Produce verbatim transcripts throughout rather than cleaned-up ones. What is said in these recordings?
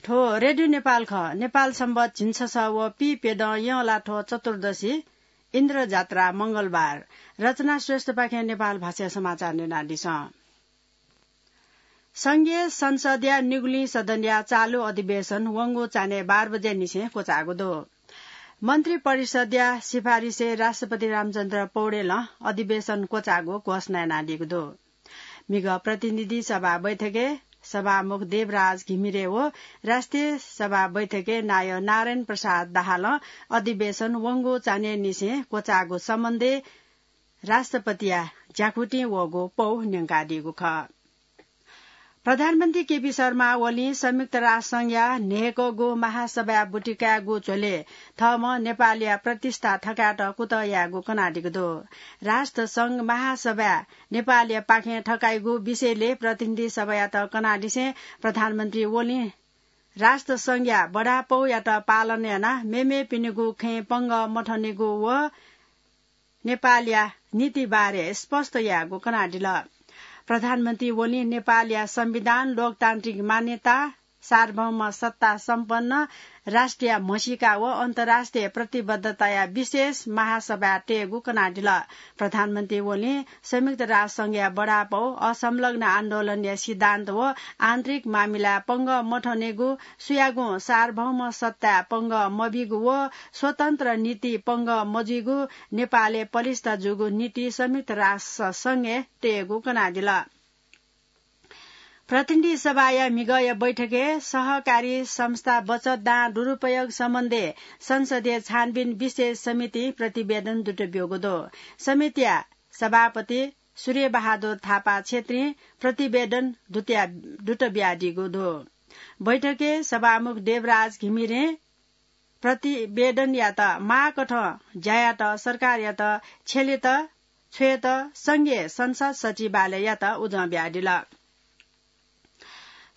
थ्व रेडियो नेपाल खः। नेपाल संवत झिंछसः व पीप्यदँ यंलाथ्व चतुर्दशी, इन्द्रजात्रा, मंगलबार। रचना श्रेष्ठपाखें नेपाल भाषाया समाचार न्यनादिसँ। संघीय संसदया निगुलिं सदनया चालु अधिवेशन वंगु चान्हय् बाह्र बजेनिसें क्वचाःगु दु। मन्त्री परिषदया सिफारिसय् राष्ट्रपति रामचन्द्र पौडेलं अधिवेशन क्वचाःगु घोषणा यानादीगु दु। म्हिगः प्रतिनिधि सभा बैठकय् सभामुख देवराज घिमिरे व राष्ट्रिय सभा बैठकय् नायः नारायण प्रसाद दाहालं अधिवेशन वंगु चान्हय्‌निसें क्वचाःगु सम्बन्धय् राष्ट्रपतिया ज्याखुतिं वःगु पौ न्यंकादीगु खः। प्रधानमन्त्री केपी शर्मा ओलीं संयुक्त राष्ट्रसंघया न्हय्‌कःगु महासभाय् बुति कायेगु झ्वलय् थःम्हं नेपालया प्रतिष्ठा थकायेत कुतः यायेगु कनादीगु दु। राष्ट्रसंघ महासभाय् नेपालया पाखें थकाइगु विषयलय् प्रतिनिधि सभायात कनादिसें प्रधानमन्त्री ओलीं राष्ट्रसंघया बडापौयात पालन यानाः मेमेपिनिगु खँय् पंगः मथनेगु व नेपालया नीति बारे स्पष्ट यायेगु कनादिल। प्रधानमन्त्री ओलीं नेपालया संविधान, लोकतान्त्रिक मान्यता, सार्वभौम सत्ता सम्पन्न राष्ट्रिय म्हसीका व अन्तर्राष्ट्रिय प्रतिबद्धताया विशेष महासभा तयेगु कनादिल। प्रधानमन्त्री ओलीं संयुक्त राष्ट्रसंघया बडापौ, असंलग्न आन्दोलनया सिद्धान्त व आन्तरिक मामिलाय् पंगः मथनेगु, सुयागुं सार्वभौम सत्ताय् पंगः मबीगु व स्वतन्त्र नीति पंगः मजुइगु, नेपालय् पलिस्था जूगु नीति संयुक्त राष्ट्र संघय् तयेगु कनादिल। प्रतिनिधि सभाया म्हिगःया बैठकय् सहकारी संस्था बचत दां दुरुपयोग सम्बन्धय् संसदीय छानबिन विशेष समितिं प्रतिवेदन दुत ब्यूगु दु। समितिया सभापति सूर्यबहादुर थापा क्षेत्रीं प्रतिवेदन दुत बियादीगु दु। बैठकय् सभामुख देवराज घिमिरें प्रतिवेदनयात माःकथं ज्यायात सरकारयात छ्यलेत छ्वयेत संघीय संसद सचिवालययात उजं बियादिल।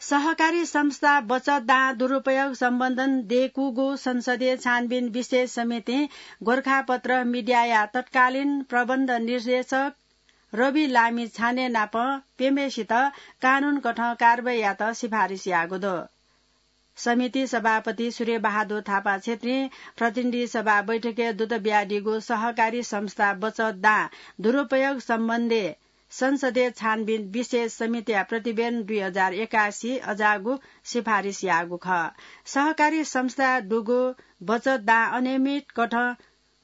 सहकारी संस्था बचत दां दुरुपयोग सम्बन्धन दय्‌कूगु संसदीय छानबिन विशेष समितिं गोरखापत्र मिडियाया तत्कालीन प्रबन्ध निर्देशक रवि लामिछाने नाप प्यम्हेसित कानून कथं कारवाही यायेत सिफारिस याःगु दु। समिति सभापति सूर्यबहादुर थापा क्षेत्रीं प्रतिनिधि सभा बैठकय् दुत बियादीगु सहकारी संस्था बचत दां दुरुपयोग सम्बन्धी संसदीय छानबिन विशेष समितिया प्रतिवेदन दुई हजार एकासी अजाःगु सिफारिस याःगु खः। सहकारी संस्था दुगु बचत दां अनियमित कथं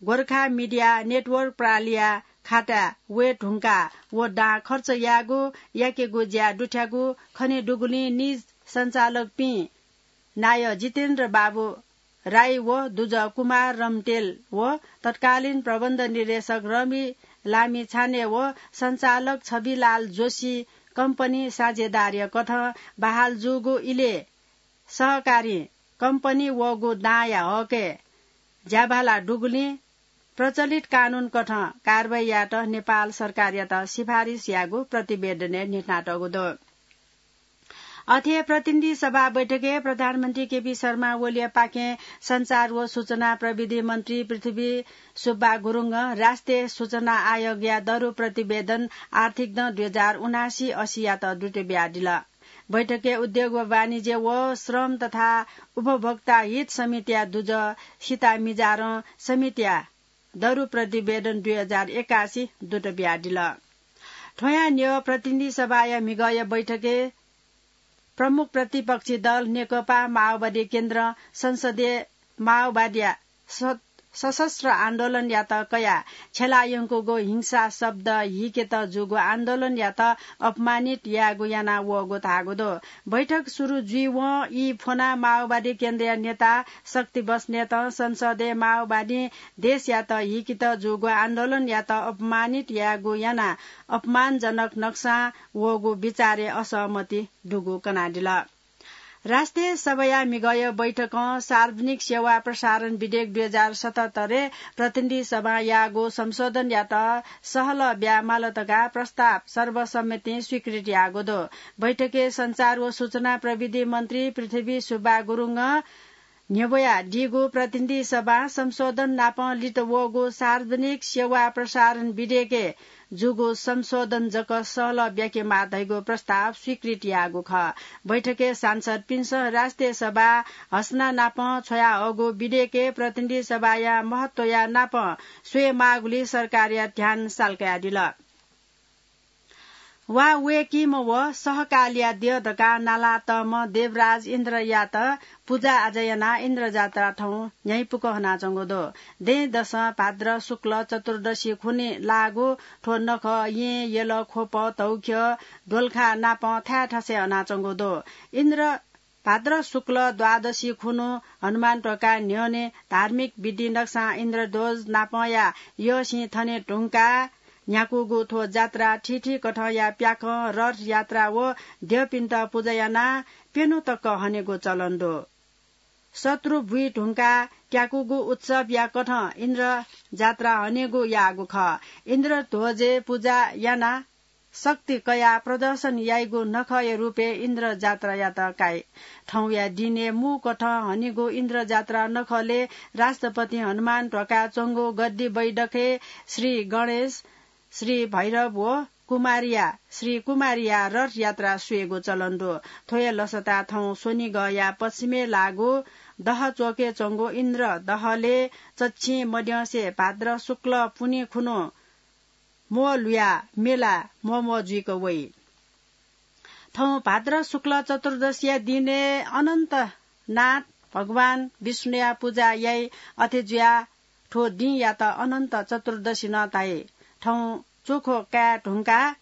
गोरखा मिडिया नेटवर्क प्रालिया खाताय् वये धुंकाः व दां खर्च यायेगु, याकेगु ज्या दुथ्याःगु खनेदुगुलिं निज सञ्चालकपिं नायः जितेन्द्र बाबु राई व दुजः कुमार रम्तेल व तत्कालीन प्रबन्ध निर्देशक रवि लामिछाने व सञ्चालक छविलाल जोशी कम्पनी साझेदारया कथं बहाल जूगु इलय् सहकारी कम्पनी वःगु दांया हकय् ज्याभाला दुगुलिं प्रचलित कानून कथं कारवाही यायेत नेपाल सरकारयात सिफारिस याःगु प्रतिवेदनय् न्ह्यथनातःगु दु। अथे प्रतिनिधि सभा बैठकय् प्रधानमन्त्री केपी शर्मा ओलीया पाखें सञ्चार व सूचना प्रविधि मन्त्री पृथ्वी सुब्बा गुरुङं राष्ट्रिय सूचना आयोगया दरु प्रतिवेदन आर्थिक दँ दुई हजार उनासी असीयात दुत बियादिल। बैठकय् उद्योग व वाणिज्य व श्रम तथा उपभोक्ता हित समितिया दुजः सीता मिजारं समितिया दरु प्रतिवेदन दुई हजार एकासी दुत बियादिल। थ्वयां न्ह्यः प्रतिनिधि सभाया म्हिगःया बैठकय् प्रमुख प्रतिपक्षी दल नेकपा माओवादी केन्द्रं संसदीय माओवादीया स-, सशस्त्र आन्दोलनयात कयाः छ्यलायंकूगु हिंसा शब्द हिकेत जूगु आन्दोलनयात अपमानित यायेगु याना वःगु धाःगु दु। बैठक सुरु जुइवं ई फ्वनाः माओवादी केन्द्रया नेता शक्ति बस्नेतं संसदय् माओवादीं देशयात हिकेत जूगु आन्दोलनयात अपमानित यायेगु यानाः अपमानजनक नक्सां वःगु विचारय् असहमति दुगु कनादिल। राष्ट्रिय सभाया म्हिगःया बैठकं सार्वजनिक सेवा प्रसारण विधेयक दुई हजार सतहत्तरय् प्रतिनिधि सभां याःगु संशोधनयात सहलह ब्याये माल धकाः प्रस्ताव सर्वसम्मतिं स्वीकृत याःगु दु। बैठकय् सञ्चार व सूचना प्रविधि मन्त्री पृथ्वी सुब्बा गुरुङं न्ह्यब्वयादीगु प्रतिनिधि सभां संशोधन नापं लित वःगु सार्वजनिक सेवा प्रसारण विधेयकय् जूगु संशोधन जक सहलह ब्याकेमाः धइगु प्रस्ताव स्वीकृत याःगु खः। बैठकय् सांसदपिन्सं राष्ट्रिय सभा हस्ना नापं छ्वयाहःगु विधेयकय् प्रतिनिधि सभाया महत्वया नापं स्वयेमाःगुलिइ सरकारया ध्यान साल्कादिल। वा वय्‌कीम्ह व सहकालया द्यः धकाः नालातःम्ह देवराज इन्द्रयात पुजा आजा यानाः इन्द्रजात्रा थौं न्ह्याइपुक हनाच्वंगु दु। दँय्‌दसं भाद्र शुक्ल चतुर्दशी खुन्हु लाःगु थ्व नखः येँ, यल, ख्वप, धौख्यः, द्वलखा नापं थाय् थासय् हनाच्वंगु दु। इन्द्र भाद्र शुक्ल द्वादशी खुन्हु हनुमान ध्वाखा न्ह्यःने धार्मिक विधि नकसां इन्द्रध्वज नापंया यःसिं थने धुंकाः न्ह्याकूगु थ्व जात्रा थीथी कथंया प्याखं रथ यात्रा व द्यःपिन्त पुजा यानाः प्यन्हु तक हनेगु चलन दु। शत्रु बुइ धुंकाः त्याकूगु उत्सवया कथं इन्द्र जात्रा हनेगु याःगु खः। इन्द्रध्वजय् पुजा यानाः शक्ति कयाः प्रदर्शन याइगु नखःया रूपय् इन्द्र जात्रायात काइ। थौंया दिनय् मू कथं हनीगु इन्द्र जात्रा नखलय् राष्ट्रपति हनुमान ध्वाखा च्वंगु गद्दी बैठकय् श्री गणेश, श्री भैरव व कुमारिया, श्री कुमारिया रथ यात्रा स्वयेगु चलन दु। थ्व हे लसता थौं स्वनिगःया पश्चिमय् लाःगु दह च्वकय् च्वंगु इन्द्र दहलय् चच्छिं मद्यंसे भाद्र शुक्ल पुन्हि खुन्हु म्वः लुयाः मेला म्वःम्वः जुइक वइ। थौं भाद्र शुक्ल चतुर्दशीया दिनय् अनन्तनाथ भगवान विष्णुया पुजा याइ। अथे जुयाः थ्व दिंयात अनन्त चतुर्दशी नं धाइ। थौं च्वखो काये धुंकाः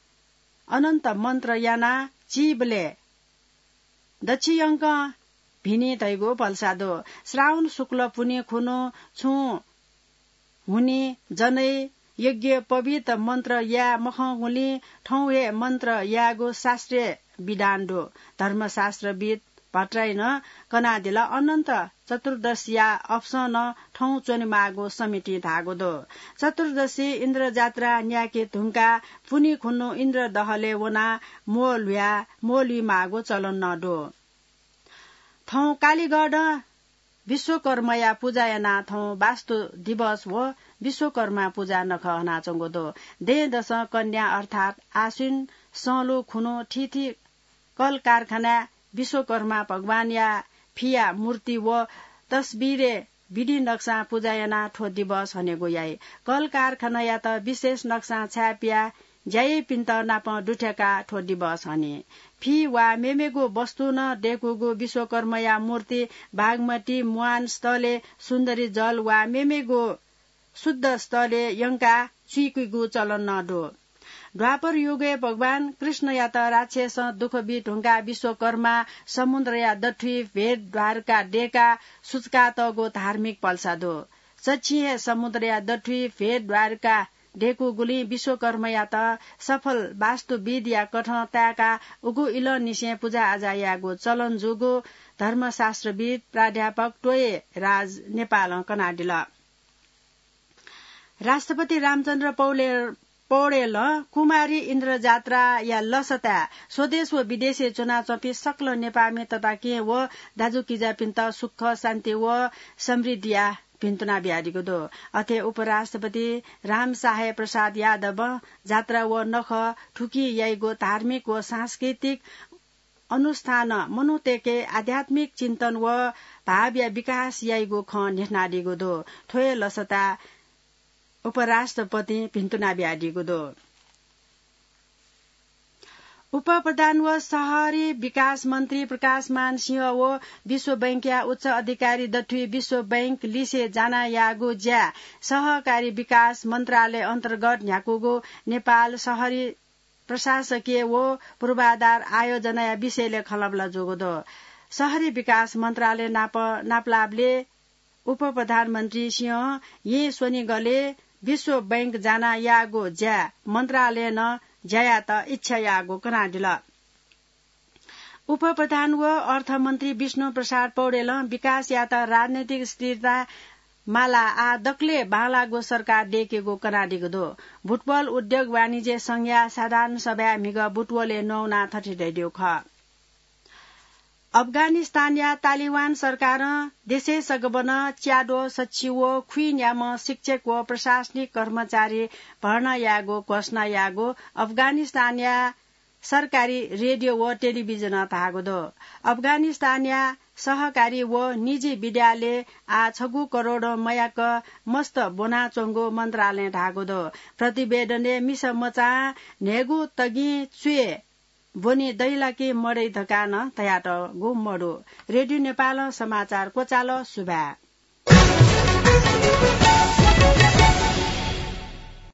अनन्त मन्त्र यानाः चीबलय् दच्छियंकं भिनी धइगु भलसा दु। श्रावण शुक्ल पुन्हि खुन्हु छुं हुनि, जनै, यज्ञ पवित्र मन्त्र याये मखंगुलिं थौं हे मन्त्र यायेगु शास्त्रीय विधान दु। धर्मशास्त्रविद् भट्टराईं कनादिल। अनन्त चतुर्दशीया अवसरं थौं च्वनेमाःगु समितिं धाःगु दु। चतुर्दशी इन्द्रजात्रा न्यायेके धुंकाः पुन्हि खुन्हु इन्द्रदहलय् वनाः म्वः लुयाः म्वः लुइमाःगु चलन नं दु। थौं कालीगढं विश्वकर्माया पुजा यानाः थौं वास्तु दिवस व विश्वकर्मा पुजा नखः हनाच्वंगु दु। दँय्‌दसं कन्या अर्थात् आश्विन संलु खुन्हु थीथी कल कारखानाय् विश्वकर्मा भगवानया फिया मूर्ति व तस्बिरय् विधि नक्सां पुजा यानाः थ्व दिवस हनेगु याइ। कल कारखानायात विशेष नक्सां छाय्‌पियाः ज्या याइपिन्त नाप दुथ्याकाः थ्व दिवस हनी। फि वा मेमेगु वस्तु नं दय्‌कूगु विश्वकर्माया मूर्ति बागमती म्वान स्थलय् सुन्दरी जल वा मेमेगु शुद्ध स्थलय् यंकाः चुइकीगु चलन नं दु। द्वापर युगय् भगवान कृष्णयात राक्षसं दुःख बी धुंकाः विश्वकर्मा समुद्रया दथुइ भेट द्वारका दय्‌काः सुचुकातःगु धार्मिक भलसा दु। चच्छिं हे समुद्रया दथुइ भेट द्वारका दय्‌कूगुलिं विश्वकर्मायात सफल वास्तुविदया कथं ताय्‌काः उगु इलंनिसें पुजा आजा यायेगु चलन जूगु धर्मशास्त्रविद् प्राध्यापक टोये राज नेपालं कनादिल। राष्ट्रपति रामचन्द्र पौले-, पौडेलं कुमारी इन्द्रजात्राया लसताय् स्वदेश व विदेशय् च्वनाच्वंपिं सकल नेपाःमि तताकेहेँ व दाजुकिजापिन्त सुख, शान्ति व समृद्धिया भिन्तुना बियादीगु दु। अथे उपराष्ट्रपति रामसाहे प्रसाद यादवं जात्रा व नखः थुकिं याइगु धार्मिक व सांस्कृतिक अनुष्ठानं मनूतय्‌के आध्यात्मिक चिन्तन व भावया विकास याइगु खँ न्ह्यथनादीगु दु। थ्व हे लसता उपराष्ट्रपतिं भिन्तुना बियादीगु दु। उपप्रधान व शहरी विकास मन्त्री प्रकाशमान सिंह व विश्व बैंकया उच्च अधिकारी दथुइ विश्व बैंक लिसे जाना याःगु ज्या सहकारी विकास मन्त्रालय अन्तर्गत न्ह्याकूगु नेपाल शहरी प्रशासकीय व पूर्वाधार आयोजनाया विषयलय् खँल्हाबल्हा जूगु दु। शहरी विकास मन्त्रालय नाप नापलाःबलय् उपप्रधानमन्त्री सिंहं येँ स्वनिगलय् विश्व बैंक जाना याःगु ज्या मन्त्रालयं ज्या यायेत इच्छा याःगु कनादिल। उपप्रधान व अर्थमन्त्री विष्णु प्रसाद पौडेलं विकासयात राजनैतिक स्थिरता मालाः आः दकलय् बांलाःगु सरकार दय्‌केगु कनादीगु दु। बुटवल उद्योग वाणिज्य संघया साधारण सभाय् म्हिगः बुटवलय् न्ववानाः थथे धयादीगु खः। अफगानिस्तानया तालिबान सरकारं देशय् सगबनं च्याद्वः सछि व खुइन्याम्ह शिक्षक व प्रशासनिक कर्मचारी भर्ना यायेगु घोषणा याःगु अफगानिस्तानया सरकारी रेडियो व टेलिभिजनं धाःगु दु। अफगानिस्तानया सहकारी व निजी विद्यालय आः छगू करोडं मयाक मस्त ब्वनाच्वंगु मन्त्रालयं धाःगु दु। प्रतिवेदनय् मिसा मचां न्हय्गू तगिं च्वय् ब्वनी दइ ला कि मदइ धकाः नं धयातःगु मदु। रेडियो नेपालं समाचार क्वचाल। सुभाय्।